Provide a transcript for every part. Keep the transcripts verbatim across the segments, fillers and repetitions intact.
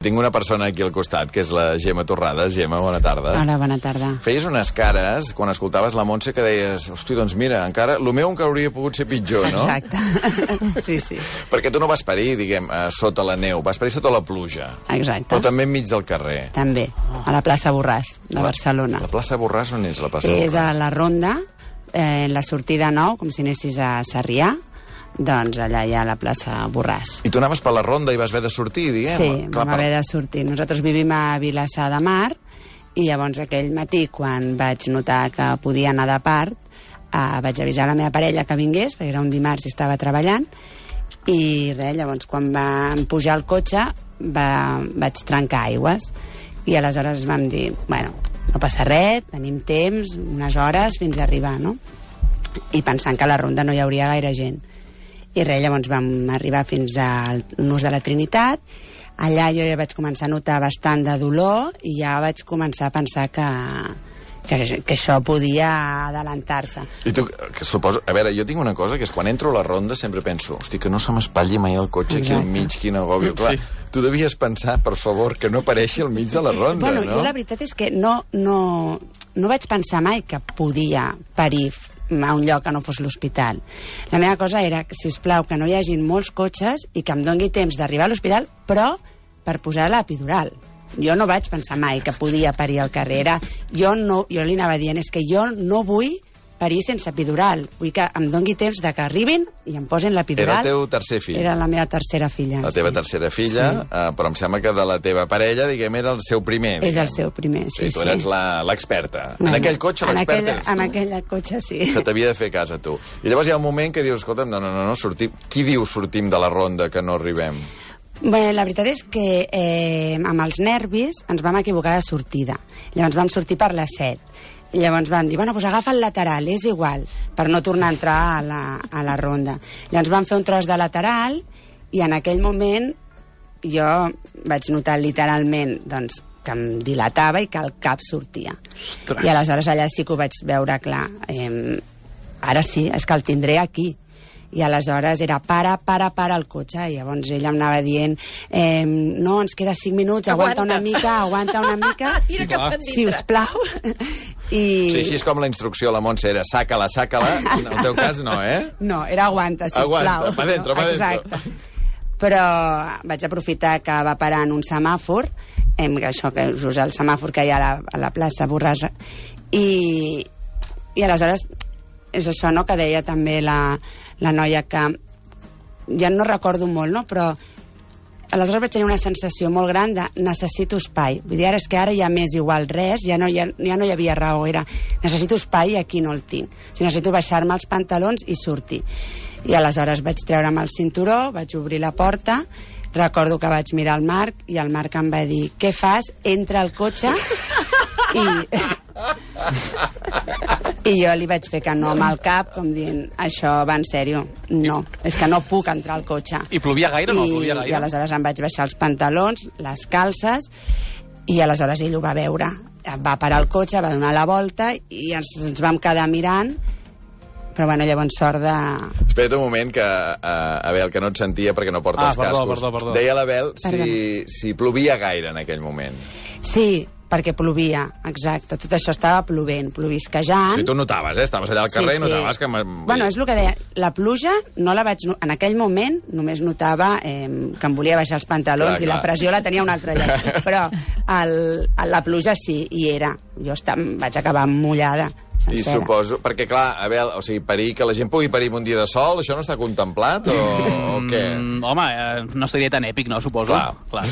Tinc una persona aquí al costat, que és la Gemma Torrades. Gemma, bona tarda. Hola, bona tarda. Feies unes cares, quan escoltaves la Montse, que deies, hosti, doncs mira, encara, el meu encara hauria pogut ser pitjor, no? Exacte. Sí, sí. Perquè tu no vas parir, diguem, sota la neu, vas parir sota la pluja. Exacte. Però també enmig del carrer. També, a la plaça Borràs, de la, Barcelona. La plaça Borràs, on és la plaça Borràs? És a la Ronda, eh, la sortida nou, com si anessis a Sarrià. Doncs allà hi ha la plaça Borràs. I tu anaves per la ronda i vas haver de sortir, diguem? Sí, Clar, vam per... haver de sortir. Nosaltres vivim a Vilassar de Mar i llavors aquell matí, quan vaig notar que podia anar de part, eh, vaig avisar la meva parella que vingués, perquè era un dimarts i estava treballant, i res, llavors quan vam pujar al cotxe va, vaig trencar aigües i aleshores vam dir, bueno, no passa res, tenim temps, unes hores fins a arribar, no? I pensant que a la ronda no hi hauria gaire gent. I res, llavors vam arribar fins al Nus de la Trinitat. Allà jo ja vaig començar a notar bastant de dolor i ja vaig començar a pensar que, que, que això podia adelantar-se. I tu, que suposo... A veure, jo tinc una cosa, que és quan entro a la ronda sempre penso, hosti, que no se m'espatlli mai el cotxe aquí al mig, quin agòbio. Clar, sí. Tu devies pensar, per favor, que no apareixi al mig de la ronda, bueno, no? Jo la veritat és que no, no, no vaig pensar mai que podia parir a un lloc que no fos l'hospital. La meva cosa era, sisplau, que no hi hagin molts cotxes i que em doni temps d'arribar a l'hospital, però per posar l'epidural. Jo no vaig pensar mai que podia parir al carrer. Era, jo, no, jo li anava dient, és que jo no vull parir sense epidural. Vull que em doni temps de que arribin i em posen l'epidural. Era el teu tercer fill. Era la meva tercera filla. La teva sí. tercera filla, sí. uh, però em sembla que de la teva parella, diguem, era el seu primer. És diguem. el seu primer, sí, sí. Tu eres sí. l'experta. No, en aquell cotxe l'experta eres tu. En aquell cotxe, sí. Se t'havia de fer cas a tu. I llavors hi ha un moment que dius, escolta'm, no, no, no, no sortim. Qui diu sortim de la ronda que no arribem? Bé, la veritat és que eh, amb els nervis ens vam equivocar de sortida. Llavors vam sortir per les set. I llavors vam dir, bueno, doncs agafa el lateral, és igual, per no tornar a entrar a la, a la ronda. Llavors vam fer un tros de lateral i en aquell moment jo vaig notar literalment doncs, que em dilatava i que el cap sortia. Ostres. I aleshores allà sí que ho vaig veure clar. Eh, ara sí, és que el tindré aquí. I aleshores era para, para, para el cotxe, i llavors ella em anava dient eh, no, ens queda cinc minuts, aguanta, aguanta una mica, aguanta una mica, tira cap endintre, sisplau. I... Sí, així és com la instrucció a la Montse era saca-la, saca-la, en el teu cas no, eh? No, era aguanta, sisplau. Aguanta, pa dentro, pa dentro. Exacte. Però vaig aprofitar que va parar en un semàfor, eh, això que us el semàfor que hi ha a la, a la plaça Borràs, i, i aleshores és això, no?, que deia també la, la noia que ja no recordo molt, no?, però aleshores vaig tenir una sensació molt gran de necessito espai. Vull dir, ara és que ara ja m'és igual res, ja no, ja, ja no hi havia raó, era necessito espai i aquí no el tinc. O sigui, necessito baixar-me els pantalons i sortir. I aleshores vaig treure'm el cinturó, vaig obrir la porta, recordo que vaig mirar el Marc i el Marc em va dir, què fas? Entra al cotxe i... I jo li vaig fer que no amb el cap, com dient, això va en sèrio, no, és que no puc entrar al cotxe. I plovia gaire, no? Plovia gaire? I aleshores em vaig baixar els pantalons, les calces, i aleshores ell ho va veure. Va parar el cotxe, va donar la volta, i ens, ens vam quedar mirant, però bueno, llavors sort de... Espera't un moment, que uh, Abel, que no et sentia perquè no porta ah, els perdó, cascos. Perdó, perdó. Deia l'Abel si, si plovia gaire en aquell moment. Sí, perquè plovia, exacte. Tot això estava plovent, plovisquejant. Sí, tu notaves, eh? Estaves allà al carrer sí, i sí. notaves que... Bueno, és el que deia. La pluja no la vaig... En aquell moment només notava eh, que em volia baixar els pantalons clar, i clar. La pressió la tenia un altre lloc. Però el, la pluja sí, hi era. Jo estava, vaig acabar mullada. Sencera. I suposo... Perquè, clar, Abel, o sigui, parir, que la gent pugui parir un dia de sol, això no està contemplat o, o què? Mm, home, eh, no seria tan èpic, no, suposo? Clar. clar.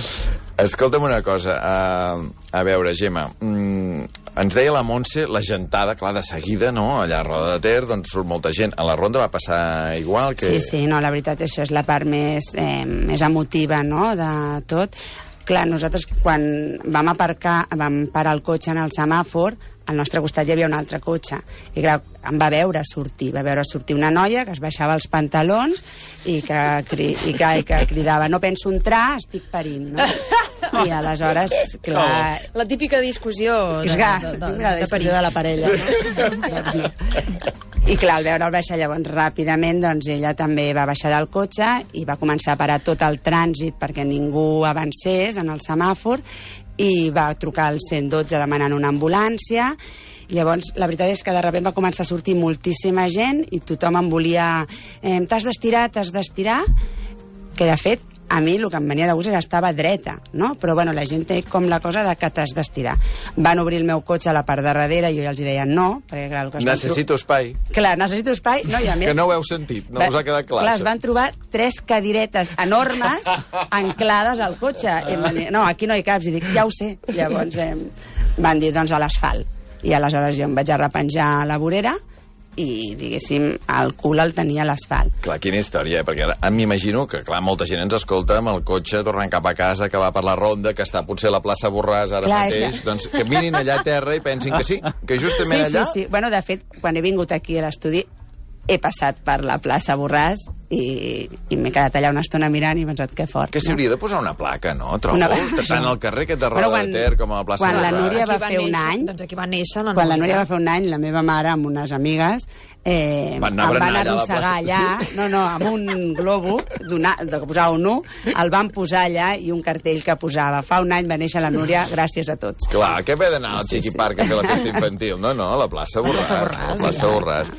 Escolta'm una cosa. Uh, a veure, Gemma, mm, ens deia la Montse, la gentada, clar, de seguida, no?, allà a Roda de Ter, doncs surt molta gent. A la ronda va passar igual que... Sí, sí, no, la veritat, això és la part més, eh, més emotiva, no?, de tot. Clar, nosaltres quan vam aparcar, vam parar el cotxe en el semàfor, al nostre costat hi havia un altre cotxe. I clar, em va veure sortir, va veure sortir una noia que es baixava els pantalons i que, cri, i que, i que cridava, no penso entrar, estic parint, no? I aleshores, clar... La típica discussió de, de, de, de, de, de, de discussió de la parella. No? I clar, al veure'l baixar llavors ràpidament, doncs ella també va baixar del cotxe i va començar a parar tot el trànsit perquè ningú avancés en el semàfor i va trucar al cent dotze demanant una ambulància. Llavors, la veritat és que de sobte va començar a sortir moltíssima gent i tothom em volia... Eh, t'has d'estirar, t'has d'estirar, que de fet a mi el que em venia de gust era estava dreta, no? Però bueno, la gent té com la cosa de que t'has d'estirar. Van obrir el meu cotxe a la part de darrere i jo ja els deia no, perquè clar... El que necessito tro... espai. Clar, necessito espai, no, i a més... Que no ho heu sentit, no va... us ha quedat clar. Clar, això. es van trobar tres cadiretes enormes anclades al cotxe. I em van dir, no, aquí no hi caps. I dic, ja ho sé. Llavors eh, van dir, doncs a l'asfalt. I aleshores jo em vaig arrepenjar a la vorera i, diguéssim, el cul el tenia a l'asfalt. Clar, quina història, eh? Perquè ara m'imagino que, clar, molta gent ens escolta amb el cotxe tornant cap a casa, que va per la ronda, que està potser a la plaça Borràs ara clar, mateix, que... doncs que mirin allà a terra i pensin que sí, que justament sí, allà... Sí, sí, bueno, de fet, quan he vingut aquí a l'estudi he passat per la plaça Borràs i, i m'he quedat allà una estona mirant i he pensat que fort. Que s'hi hauria de posar una placa, no? Trobo, una... tant al carrer aquest de Roda bueno, quan, de Ter com a la plaça quan Borràs. Quan la Núria va, va fer néixer, un any... Doncs aquí va néixer la Quan Núria. la Núria va fer un any, la meva mare amb unes amigues eh, van em van allà arrossegar allà, sí? no, no, amb un globo de que posava un u, el van posar allà i un cartell que posava fa un any va néixer la Núria, gràcies a tots. Clar, que ve d'anar al sí, Chiqui sí. Park a fer la festa infantil, no, no, a la plaça Borràs. A la plaça Borràs, a la plaça Borràs.